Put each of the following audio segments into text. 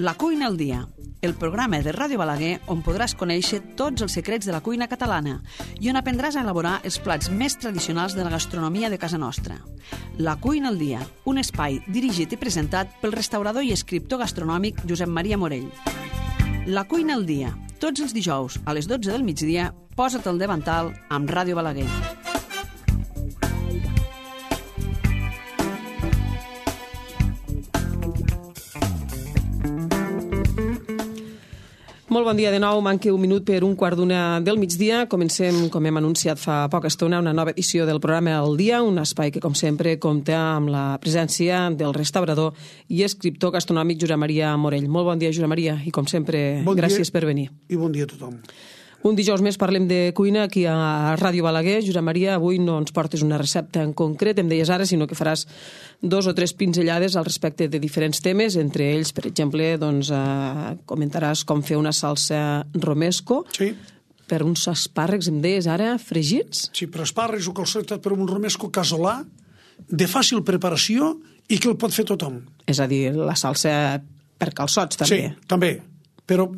La cuina al dia, el programa de Ràdio Balaguer on podràs conèixer tots els secrets de la cuina catalana i on aprendràs a elaborar els plats més tradicionals de la gastronomia de casa nostra. La cuina al dia, un espai dirigit i presentat pel restaurador i escriptor gastronòmic Josep Maria Morell. La cuina al dia, tots els dijous a les 12 del migdia, posa't al davantal amb Ràdio Balaguer. Molt bon dia de nou, manca un minut per un quart d'una del migdia. Comencem, com hem anunciat fa poca estona, una nova edició del programa El Dia, un espai que, com sempre, compta amb la presència del restaurador i escriptor gastronòmic Josep Maria Morell. Molt bon dia, Josep Maria, i com sempre, gràcies per venir. I bon dia a tothom. Un dijous més parlem de cuina aquí a Ràdio Balaguer. Josep Maria, avui no ens portes una recepta en concret, em deies ara, sinó que faràs 2 o 3 pinzellades al respecte de diferents temes. Entre ells, per exemple, comentaràs com fer una salsa romesco. Sí. Per uns espàrrecs, em deies ara, fregits? Sí, per espàrrecs o calçotat per un romesco casolà, de fàcil preparació i que el pot fer tothom. És a dir, la salsa per calçots, també. Sí, també. Però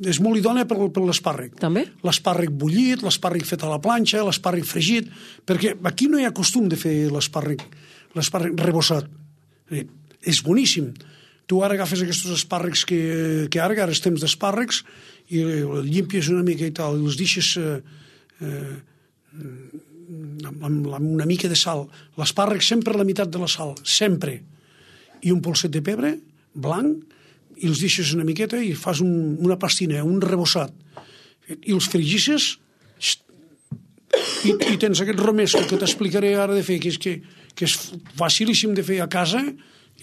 és molt idònia per l'espàrrec. També? L'espàrrec bullit, l'espàrrec fet a la planxa, l'espàrrec fregit, perquè aquí no hi ha costum de fer l'espàrrec rebossat. És boníssim. Tu ara agafes aquests espàrrecs que ara és temps d'espàrrecs i el llimpies una mica i tal, i els deixes amb una mica de sal. L'espàrrec sempre la meitat de la sal, sempre. I un polset de pebre blanc, i els deixes una miqueta i fas una pastina, un rebossat. I els fregisses i tens aquest romesco que t'explicaré ara de fer, que és facilíssim de fer a casa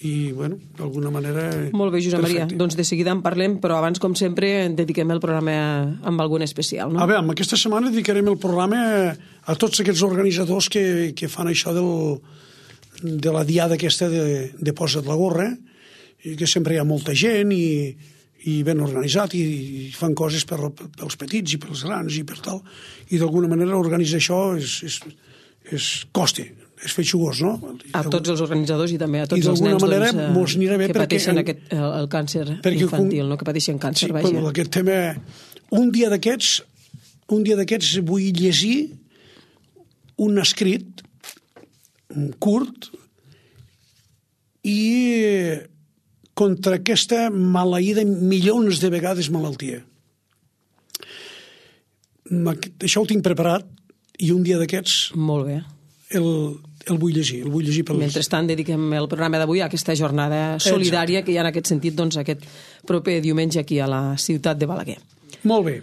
i, bueno, d'alguna manera... Molt bé, Josep Maria. Doncs de seguida en parlem, però abans, com sempre, dediquem el programa amb algun especial, no? A veure, aquesta setmana dedicarem el programa a tots aquests organitzadors que fan això de la diada aquesta de Posa't la gorra, i que sempre hi ha molta gent i ben organitzat i fan coses pels petits i pels grans i per tal, i d'alguna manera organitzar això costa, és feixugós, no? A tots els organitzadors i també a tots els nens que pateixen el càncer infantil, no? Que pateixen càncer, vaja. Aquest tema, un dia d'aquests vull llegir un escrit curt i contra aquesta maleïda milions de vegades malaltia. Això ho tinc preparat i un dia d'aquests... Molt bé. El vull llegir. Mentrestant, dediquem el programa d'avui a aquesta jornada solidària que hi ha en aquest sentit, doncs, aquest proper diumenge aquí a la ciutat de Balaguer. Molt bé.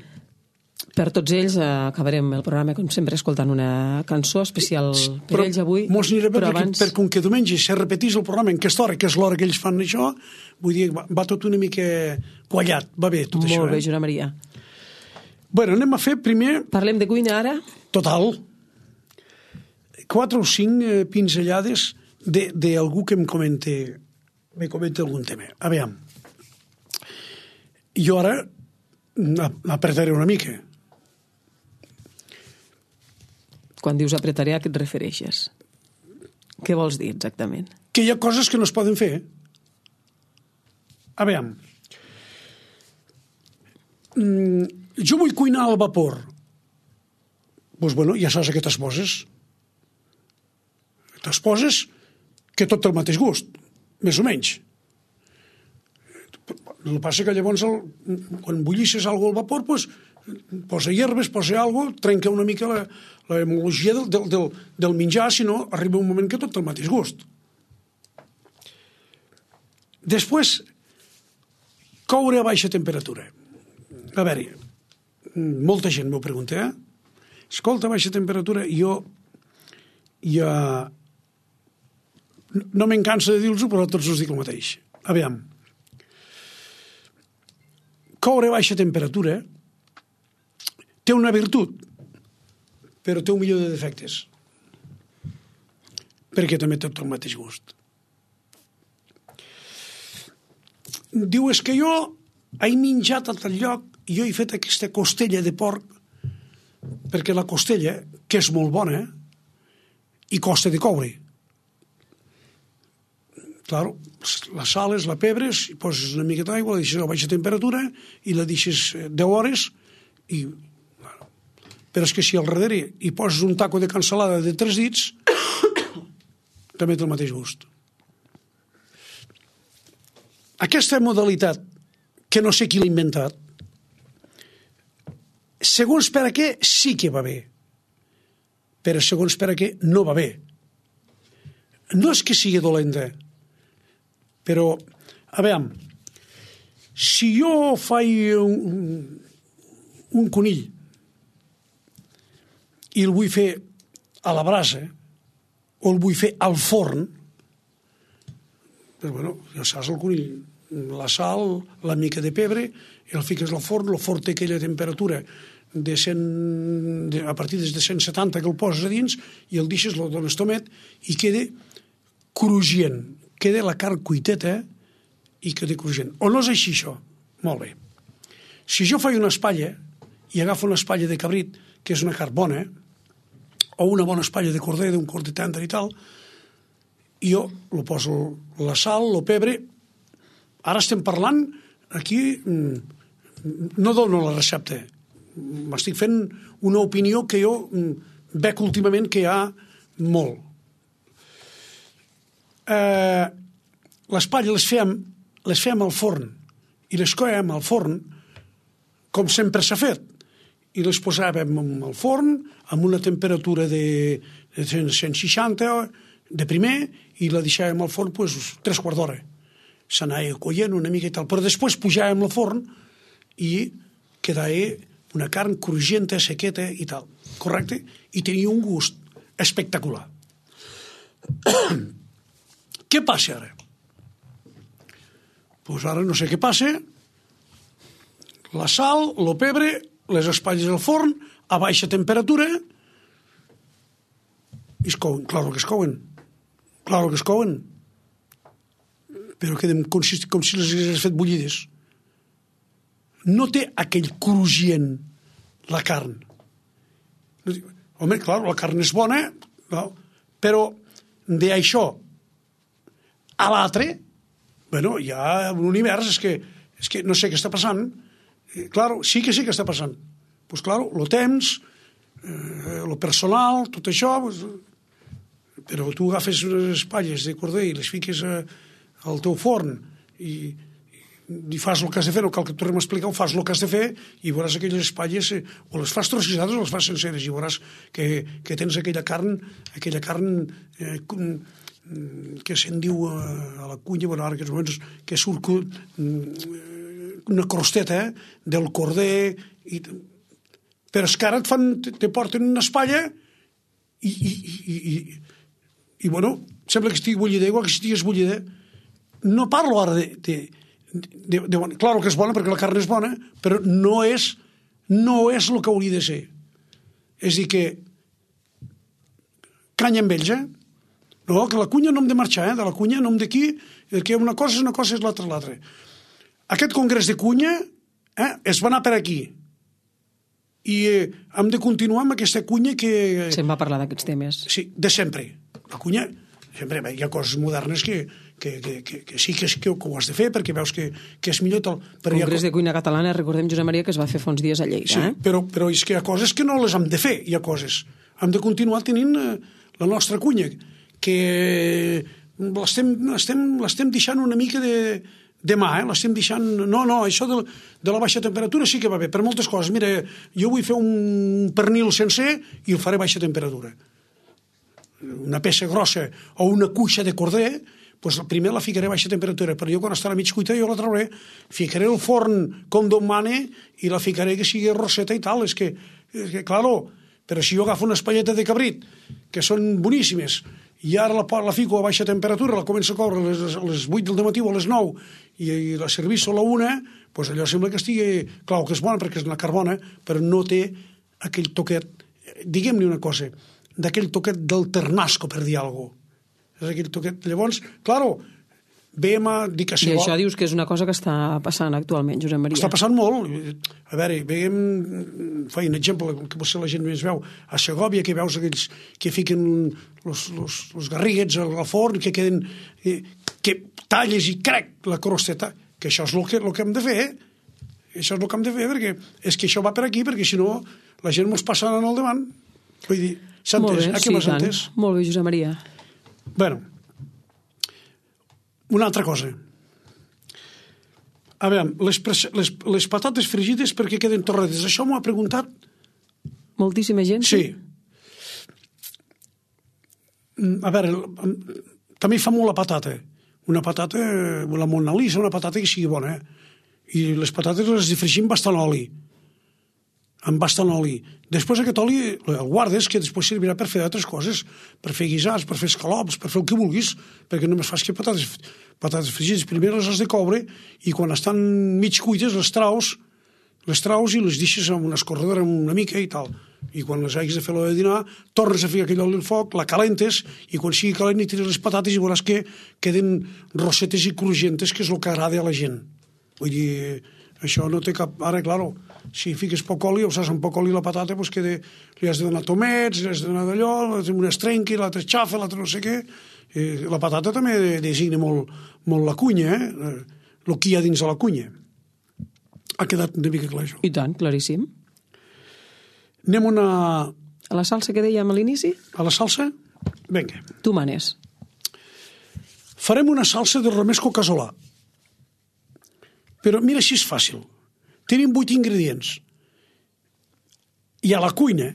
Per tots ells acabarem el programa, com sempre, escoltant una cançó especial per ells avui. Mos anirà bé perquè com que diumenge se repetís el programa en aquesta hora, que és l'hora que ells fan això, vull dir, va tot una mica quallat, va bé tot això. Molt bé, Josep Maria. Bueno, anem a fer primer... Parlem de cuina ara? Total. 4 o 5 pinzellades d'algú que me comenta algun tema. A veure, jo ara apretaré una mica. Quan dius apretaré, a què et refereixes? Què vols dir exactament? Que hi ha coses que no es poden fer. A veure, jo vull cuinar al vapor. Doncs, bueno, ja saps a què t'esposes. T'esposes que tot té el mateix gust, més o menys. El que passa que llavors, quan bullisses alguna cosa al vapor, doncs, posa hierbes, posa alguna cosa, trenca una mica la hemologia del menjar, si no, arriba un moment que tot té el mateix gust. Després, coure a baixa temperatura. A veure, molta gent m'ho pregunta, escolta, a baixa temperatura, jo no me'n cansa de dir-los-ho, però tots us dic el mateix. A veure, coure a baixa temperatura té una virtut, però té un milió de defectes, perquè també té tot el mateix gust. Diu, és que jo he menjat a tal lloc i jo he fet aquesta costella de porc, perquè la costella, que és molt bona, i costa de coure. Claro, la sales, la pebres, i poses una mica d'aigua, la deixes a baixa temperatura i la deixes 10 hores i... Bueno. Però és que si al darrere hi poses un taco de cansalada de 3 dits, també té el mateix gust. Aquesta modalitat, que no sé qui l'ha inventat, segons per a què sí que va bé, però segons per a què no va bé. No és que sigui dolenta, però, a veure, si jo faig un conill i el vull fer a la brasa o el vull fer al forn, doncs, bueno, ja saps el conill, la sal, la mica de pebre, el fiques al forn, el forn té aquella temperatura a partir de 170 que el poses a dins i el deixes, el dones tomet i queda cruixent, queda la carn cuiteta i queda cruixent. O no és així, això? Molt bé. Si jo faig una espatlla i agafo una espatlla de cabrit, que és una carn bona, o una bona espatlla de corder, d'un corder tendre i tal, i jo lo poso la sal, el pebre. Ara estem parlant, aquí no dono la recepta, m'estic fent una opinió que jo veig últimament que hi ha molt. Les palles les fem al forn i les coem al forn com sempre s'ha fet i les posàvem al forn amb una temperatura de 160 de primer i la deixàvem al forn 3 quarts d'hora. S'anava coient una mica i tal, però després pujàvem al forn i quedava una carn cruixenta, sequeta i tal, correcte? I tenia un gust espectacular. Què passa ara? Doncs ara no sé què passa. La sal, el pebre, les espatlles al forn, a baixa temperatura, i es couen. Claro que es couen. Claro que es couen. Però queden com si les hagués fet bullides. No té aquell cruixent la carn. Home, clar, la carn és bona, no? Però d'això a l'altre, bueno, hi ha un univers, és que no sé què està passant. Claro, sí que està passant. Pues claro, el temps, el personal, tot això, pues, però tu agafes unes espatlles de corder i les fiques al teu forn i fas el que has de fer, no cal que tornem a explicar, fas el que has de fer i veuràs aquelles espatlles, o les fas trossissades o les fas senceres, i veuràs que tens aquella carn que se'n diu a la cunya, bueno, ara que surt una crosteta del corder, però és que ara te porten una espatlla i bueno, sembla que estigui bullida, igual que si estigués bullida. No parlo ara de claro que és bona perquè la carn és bona, però no és el que hauria de ser. És dir, que canya amb ells, No, que la cunya no hem de marxar, de la cunya no hem d'aquí, que una cosa és l'altra. Aquest congrés de cunya es va anar per aquí. I hem de continuar amb aquesta cunya que... Se'n va parlar d'aquests temes. Sí, de sempre. La cunya, sempre, hi ha coses modernes que sí que ho has de fer perquè veus que és millor tal. El Congrés de Cuina Catalana, recordem, Josep Maria, que es va fer fa uns dies a Lleida. Sí, però és que hi ha coses que no les hem de fer, hi ha coses. Hem de continuar tenint la nostra cunya, que l'estem deixant una mica de mà, l'estem deixant... No, això de la baixa temperatura sí que va bé, per moltes coses. Mira, jo vull fer un pernil sencer i el faré a baixa temperatura. Una peça grossa o una cuixa de corder, doncs primer la ficaré a baixa temperatura, però jo quan estarà mig cuita jo la trauré, ficaré el forn com Déu mana i la ficaré que sigui roseta i tal. És que claro, però si jo agafo una espalleta de cabrit, que són boníssimes, i ara la fico a baixa temperatura, la començo a coure a les 8 del matí o a les 9 i la serviço a la 1, doncs allò sembla que estigui... Clar, que és bona perquè és una carbona, però no té aquell toquet, diguem-ne una cosa, d'aquell toquet del ternasco, per dir alguna cosa. És aquell toquet. Llavors, claro, veiem a dir que... I això dius que és una cosa que està passant actualment, Josep Maria. Està passant molt. A veure, veiem, faig un exemple, que potser la gent més veu, a Segòvia, que veus aquells que fiquen els garriguets al forn, que queden... que talles i crec la crosteta, que això és el que hem de fer, Això és el que hem de fer, perquè és que això va per aquí, perquè si no la gent mos passa al davant. Vull dir, s'ha entès? Aquí m'has entès? Molt bé, Josep Maria. Bueno, una altra cosa. A veure, les patates fregides perquè queden torrades. Això m'ho ha preguntat... Moltíssima gent? Sí. A veure, també fa molt la patata. Una patata, la Mona Lisa, una patata que sigui bona, I les patates les fregim bastant oli. Amb bastant oli. Després aquest oli el guardes, que després servirà per fer altres coses, per fer guisats, per fer escalops, per fer el que vulguis, perquè només fas que patates fregides. Primer les has de coure i quan estan mig cuites les traus i les deixes amb una escorredora una mica i tal. I quan les hagis de fer l'hora de dinar, tornes a ficar aquell oli al foc, la calentes i quan sigui calent hi tires les patates i veuràs que queden rossetes i crujientes, que és el que agrada a la gent. Vull dir, això no té cap... Ara, claro, si fiques poc oli, o saps, amb poc oli la patata, doncs que li has de donar tomets, li has de donar d'allò, una es trenqui, l'altra es xafa, l'altra no sé què. La patata també designa molt la cunya, el que hi ha dins de la cunya. Ha quedat una mica clar, això. I tant, claríssim. Anem a la salsa que dèiem a l'inici? A la salsa? Vinga. Tu manes. Farem una salsa de romesco casolà. Però mira si és fàcil. Tenim 8 ingredients. I a la cuina,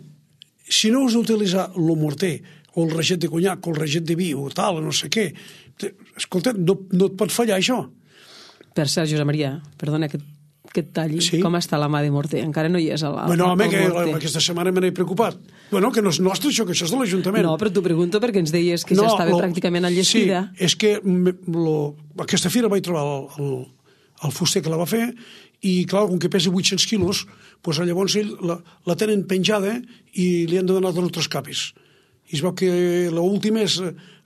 si no us utilitzar el morter o el reget de conyac o el reget de vi o tal, no sé què, escolta, no et pot fallar això. Per cert, Josep Maria, perdona que et talli. Sí? Com està la mà de morter? Encara no hi és el bueno, home, que morter. Aquesta setmana me n'he preocupat. Bueno, que no és nostre això, que això és de l'Ajuntament. No, però t'ho pregunto perquè ens deies que ja estava pràcticament enllestida. Sí, és que aquesta fira vaig trobar el fuster que la va fer i, clar, com que pesa 800 quilos, doncs llavors ell la tenen penjada i li han de donar d'altres capes. I es veu que l'última és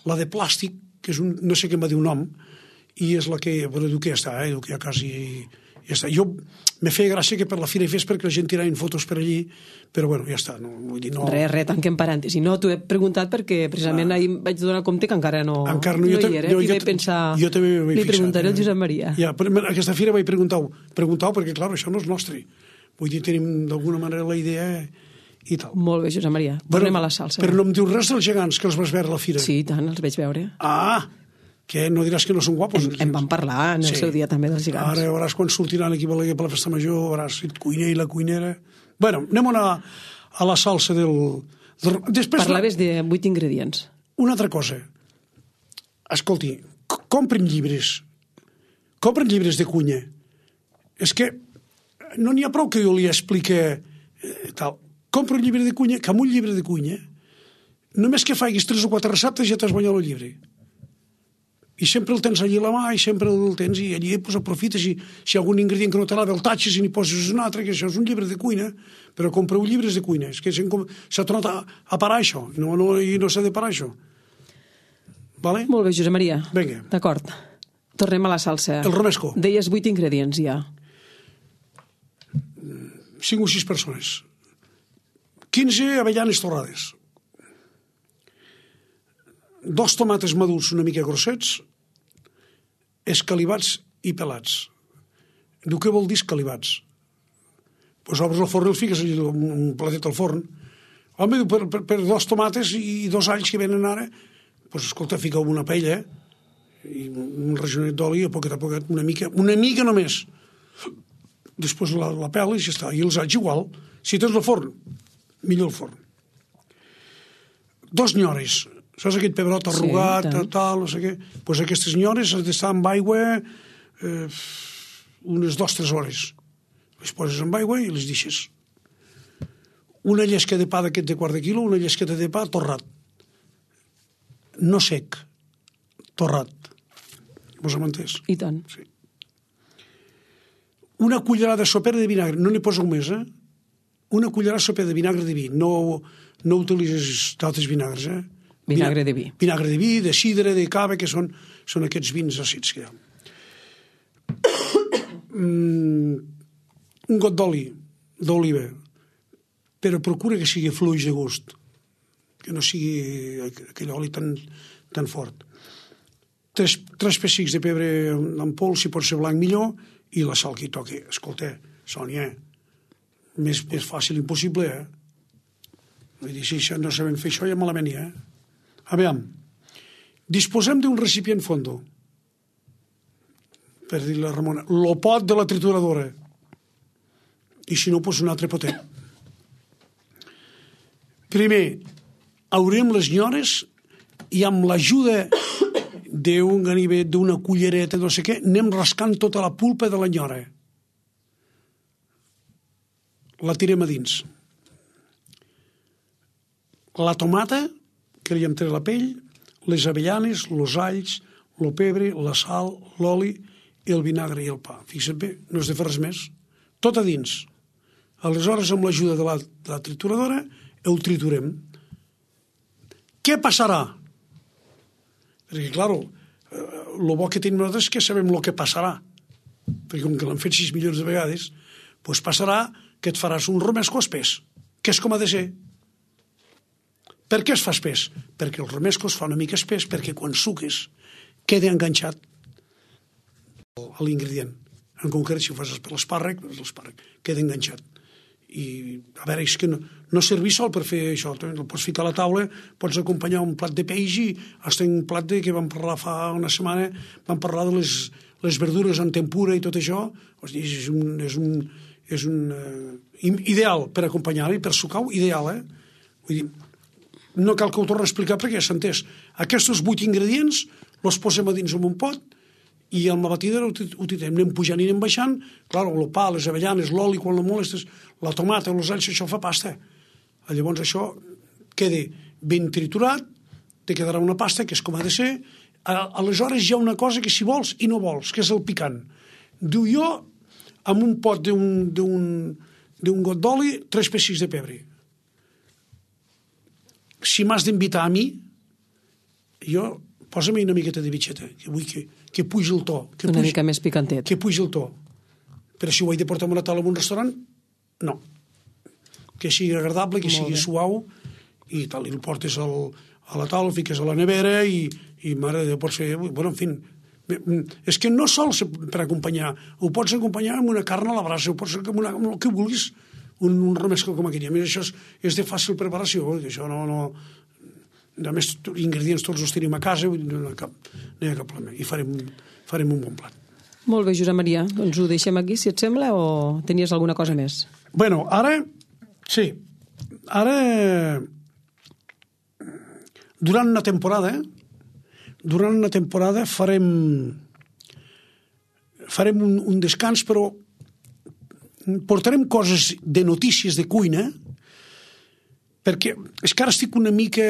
la de plàstic, que és no sé què em va dir un nom, i és la que, bueno, diu que ja està, diu que ja quasi... Ja està. Jo me feia gràcia que per la fira hi fes perquè la gent tiraven fotos per allí, però bueno, ja està. No, vull dir, no... Res, tanquem parèntesi. No, t'ho he preguntat perquè precisament ahir vaig donar compte que encara no hi era. I vaig pensar, li preguntaré al Josep Maria. Ja, però aquesta fira vaig preguntar perquè, clar, això no és nostre. Vull dir, tenim d'alguna manera la idea i tal. Molt bé, Josep Maria. Tornem a la salsa. Però no em dius res dels gegants que els vas veure a la fira? Sí, tant, els vaig veure. Ah, que no diràs que no són guapos. En vam parlar en el seu dia també dels gegants. Ara veuràs quan sortiran aquí per la festa major, veuràs el cuiner i la cuinera. Bueno, anem a la salsa del... Parlaves de 8 ingredients. Una altra cosa. Escolti, compren llibres de cuina. És que no n'hi ha prou que jo li explique tal. Compra un llibre de cuina, que amb un llibre de cuina, només que faiguis 3 o 4 receptes ja t'has guanyat el llibre. I sempre el tens allí a la mà i sempre el tens i allí pues, aprofites i si hi ha algun ingredient que no t'agrada el tatxes i n'hi poses un altre, que això és un llibre de cuina, però compreu llibres de cuina. És que s'ha tornat a parar això i no s'ha de parar això. Vale? Molt bé, Josep Maria. Vinga. D'acord. Tornem a la salsa. El romesco. Deies 8 ingredients ja. 5 o 6 persones. 15 avellanes torrades. 2 tomates madurs una mica grossets, escalivats i pelats. Diu, què vol dir escalivats? Doncs obres el forn i el fiques un platet al forn. Home, diu, per 2 tomates i 2 alls que venen ara, doncs escolta, fica una paella i un rajonet d'oli a poquet, una mica només. Després la peles i ja està. I els alls igual. Si tens el forn, millor el forn. 2 nyores. Saps aquest pebrot arrugat, tal, no sé què? Doncs aquestes nyores has d'estar amb aigua unes 2-3 hores. Les poses amb aigua i les deixes. Una llesca de pa d'aquest de quart de quilo, una llesqueta de pa torrat. No sec, torrat. Vos hem entès? I tant. Sí. Una cullerada sopera de vinagre, no n'hi poseu més, Una cullerada sopera de vinagre de vi. No utilitzes d'altres vinagres, Vinagre de vi. Vinagre de vi, de sidra, de cava, que són aquests vins àcids que hi ha. Un got d'oliva, però procura que sigui fluix de gust, que no sigui aquell oli tan fort. tres pessics de pebre en pols, si pot ser blanc millor, i la sal que hi toqui. Escolta, Sònia, més fàcil impossible, Vull dir, si no sabem fer això, ja malament hi, Aviam, disposem d'un recipient fondo, per dir-li a Ramona, lo pot de la trituradora, i si no, doncs un altre potet. Primer, haurem les nyores i amb l'ajuda d'un ganivet, d'una cullereta, no sé què, anem rascant tota la pulpa de la nyora. La tirem a dins. La tomata, que li hem tret la pell, les avellanes, els alls, el pebre, la sal, l'oli, el vinagre i el pa. Fixa't bé, no has de fer res més. Tot a dins. Aleshores, amb l'ajuda de la trituradora, ho triturem. Què passarà? Perquè, clar, el bo que tenim nosaltres és que sabem el que passarà. Perquè com que l'hem fet 6 milions de vegades, doncs passarà que et faràs un romesco espès, que és com ha de ser. Per què es fa espès? Perquè el romesco es fa una mica espès perquè quan suques queda enganxat a l'ingredient. En concret, si ho fas per l'espàrrec, queda enganxat. I, a veure, és que no serveix sol per fer això. El pots ficar a la taula, pots acompanyar un plat de peix i hasta un plat que vam parlar fa una setmana, vam parlar de les verdures en tempura i tot això. És un ideal per acompanyar-hi, per sucar-ho, ideal, Vull dir, no cal que ho torni a explicar perquè ja s'ha entès. Aquests 8 ingredients els posem a dins en un pot i amb la batidora ho tirem, anem pujant i anem baixant. Clar, el pa, les avellanes, l'oli, quan la molestes, la tomata, els alls, això fa pasta. Llavors això queda ben triturat, te quedarà una pasta que és com ha de ser. Aleshores hi ha una cosa que si vols i no vols, que és el picant. Diu jo, amb un pot d'un got d'oli, 3 pessics de pebre. Si m'has d'invitar a mi, jo, posa-me una miqueta de bitxeta, que vull que pugi el to. Una mica més picantet. Que pugi el to. Però si ho he de portar a una taula en un restaurant, no. Que sigui agradable, que sigui suau, i tal, i el portes a la taula, el fiques a la nevera, i mare de Déu, pots fer... Bueno, en fi, és que no sols per acompanyar, ho pots acompanyar amb una carn a la brasa, ho pots amb el que vulguis, un romesco com aquell. A més, això és de fàcil preparació, això no... A més, ingredients tots els tenim a casa, no hi ha cap problema, i farem un bon plat. Molt bé, Josep Maria, doncs ho deixem aquí, si et sembla, o tenies alguna cosa més? Bueno, ara, sí, durant una temporada farem un descans, però portarem coses de notícies de cuina, perquè és que ara estic una mica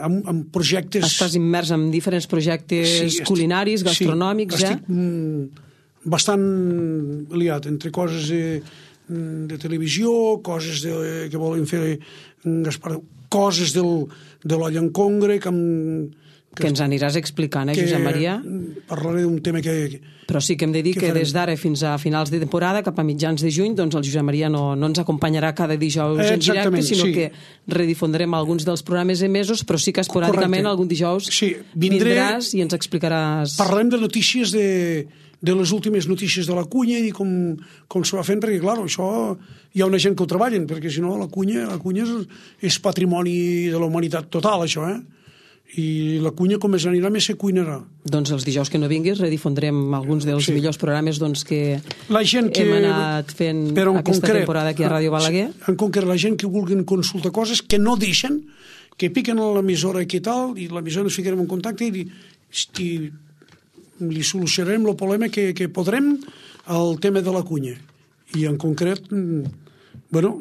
amb projectes... Estàs immers en diferents projectes culinaris, gastronòmics, ja? Estic bastant liat entre coses de televisió, coses que volen fer Gaspar, coses de l'olla en congre, que ens aniràs explicant, Josep Maria? Parlaré d'un tema que... Però sí que hem de dir que des d'ara fins a finals de temporada, cap a mitjans de juny, doncs el Josep Maria no ens acompanyarà cada dijous en directe, sinó que redifondrem alguns dels programes emesos, però sí que esporàdicament algun dijous vindràs i ens explicaràs... Parlarem de notícies de les últimes notícies de la cuina i com se va fent, perquè, clar, això hi ha una gent que ho treballen, perquè si no la cuina és patrimoni de la humanitat total, això, i la cuina com més anirà més se cuinarà. Doncs els dijous que no vinguis redifondrem alguns dels millors programes que hem anat fent aquesta temporada aquí a Ràdio Balaguer. En concret, la gent que vulguin consultar coses que no deixen, que piquen a l'emissora aquí i tal, i l'emissora ens ficarem en contacte i li solucionarem el problema que podrem al tema de la cuina. I en concret, bueno,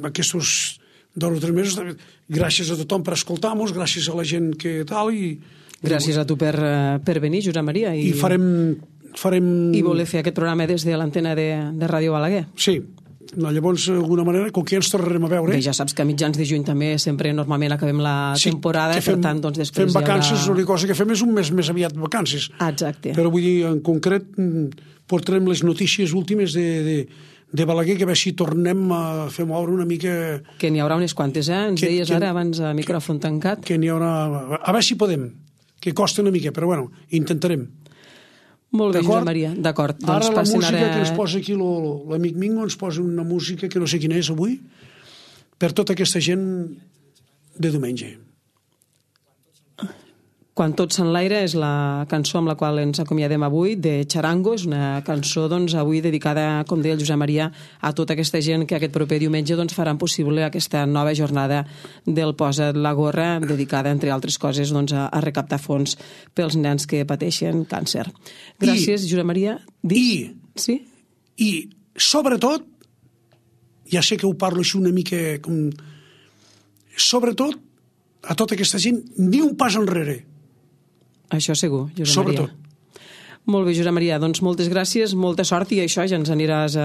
aquests 2 o 3 mesos, gràcies a tothom per escoltar-nos, gràcies a la gent que tal, i... Gràcies a tu per venir, Josep Maria. I farem... I voler fer aquest programa des de l'antena de Ràdio Balaguer. Sí. Llavors, d'alguna manera, com que ja ens tornarem a veure... Bé, ja saps que a mitjans de juny també sempre normalment acabem la temporada, per tant, doncs després fem vacances, l'única cosa que fem és un mes més aviat vacances. Exacte. Però vull dir, en concret, portarem les notícies últimes de Balaguer, que a veure si tornem a fer moure una mica... Que n'hi haurà unes quantes, Ens deies ara, abans a micròfon tancat. Que n'hi haurà... A veure si podem. que costa una mica, però bueno, intentarem. Molt bé, Josep Maria, d'acord. Ara la música que ens posa aquí l'amic Mingo ens posa una música que no sé quina és avui, per tota aquesta gent de diumenge. Quan tot s'enlaira és la cançó amb la qual ens acomiadem avui, de Charango. És una cançó avui dedicada, com deia el Josep Maria, a tota aquesta gent que aquest proper diumenge faran possible aquesta nova jornada del Posa't la gorra, dedicada, entre altres coses, a recaptar fons pels nens que pateixen càncer. Gràcies, Josep Maria. Sí? I, sobretot, ja sé que ho parlo així una mica com... Sobretot, a tota aquesta gent, ni un pas enrere. Això segur, Josep Sobretot. Maria. Molt bé, Josep Maria. Doncs moltes gràcies, molta sort, i això ja ens aniràs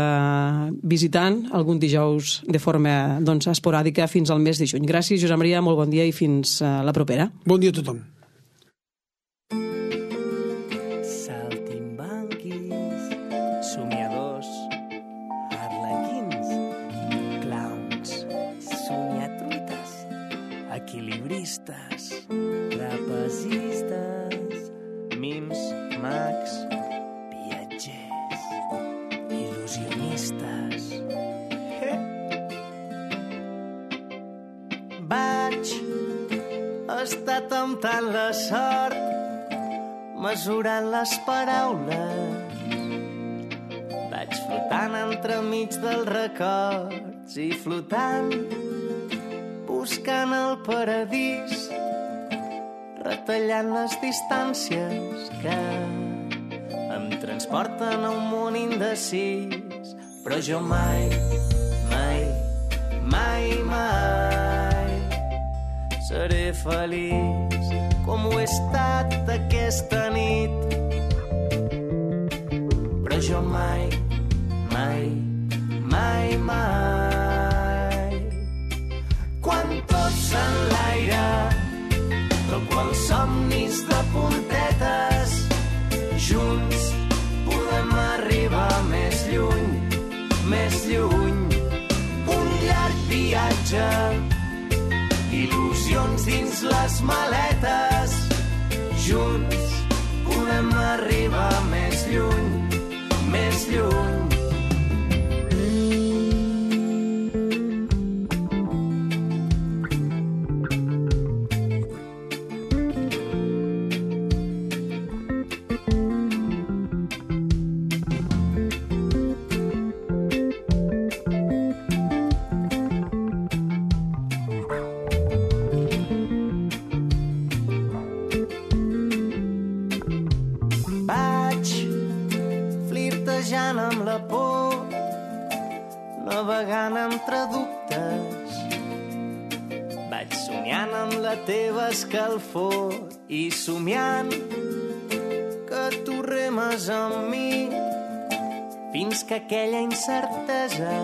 visitant algun dijous de forma esporàdica fins al mes de juny. Gràcies, Josep Maria, molt bon dia i fins la propera. Bon dia a tothom. Saltimbanquis, somiadors, arlequins, clowns, somiatruites, equilibristes, trapezistes, mims, mags, viatgers, il·lusionistes. Vaig estar temptant la sort, mesurant les paraules. Vaig flotant entremig dels records i flotant, buscant el paradís, retallant les distàncies que em transporten a un món indecís. Però jo mai, mai, mai, mai seré feliç com ho he estat aquesta nit. Però jo mai, mai, mai, mai, quan tot s'enlaira, quan somnis de puntetes, junts podem arribar més lluny, més lluny. Un llarg viatge, il·lusions dins les maletes, junts podem arribar més lluny, més lluny. Amb la por, navegant entre dubtes, vaig somiant amb la teva escalfor i somiant que tu remes amb mi fins que aquella incertesa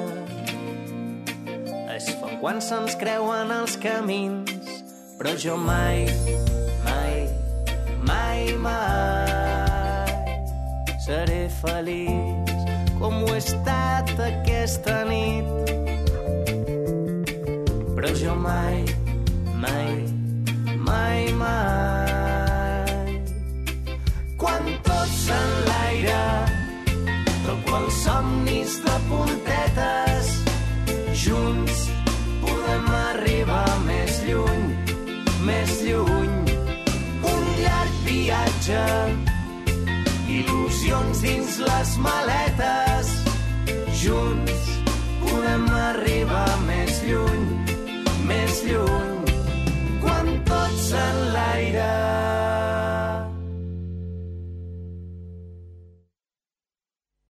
es fa quan se'ns creuen els camins. Però jo mai, mai, mai, mai seré feliç com ho he estat aquesta nit. Però jo mai, mai, mai, mai, quan tot s'enlaira, quan somnis de puntetes, junts podem arribar més lluny, més lluny. Un llarg viatge, il·lusions dins les maletes, junts podem arribar